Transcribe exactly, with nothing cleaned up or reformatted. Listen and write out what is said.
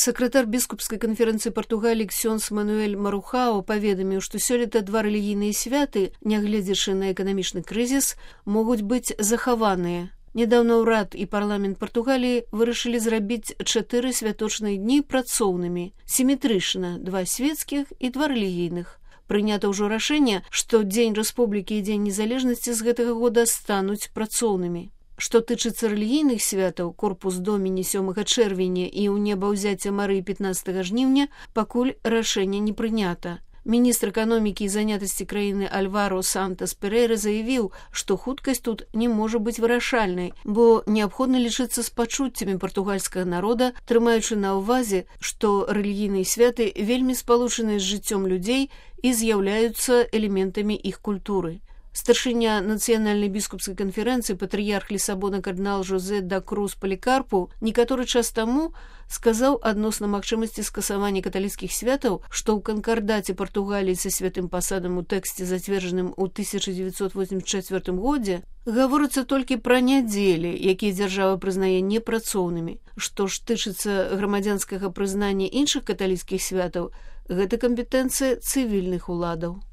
Сакратар біскупскай канферэнцыі Партугаліі ксёндз Мануэль Марухао паведаміў, што сёлета два рэлігійныя святы, нягледзячы на эканамічны крызіс, могуць быць захаваныя. Нядаўна ўрад і парламент Партугаліі вырашылі зрабіць чатыры святочныя дні працоўнымі, сіметрычна, два свецкіх і два рэлігійных. Прынята ўжо рашэнне, што Дзень Рэспублікі і Дзень Незалежнасці з гэтага года стануць працоўнымі. Што тычыцца рэлігійных святаў, корпус доміні сёмага чэрвеня і ў небаўзяцця Марыі пятнаццатага жніўня, пакуль рашэнне не прынята. Міністр эканомікі і занятасці краіны Альваро Сантас Перейра заявіў, што хуткасць тут не можа быць вырашальнай, бо неабходна лічыцца з пачуццямі партугальскага народа, трымаючы на ўвазе, што рэлігійныя святы вельмі спалучаныя з жыццём людзей і з'яўляюцца элементамі іх культуры. Старшыня нацыянальнай біскупскай канферэнцыі патрыярх Лісабона кардынал Жозе да Круз Палікарпу некаторы час таму сказаў адносна магчымасці скасавання каталіцкіх святаў, што ў канкардаце Партугаліі са святым пасадам у тэксце, зацверджаным у тысяча дзевяцьсот восемьдесят чвёртым годзе, гаворыцца толькі пра нядзелі, якія дзяржава прызнае непрацоўнымі. Што ж тычыцца грамадзянскага прызнання іншых каталіцкіх святаў, гэта кампетэнцыя цывільных уладаў.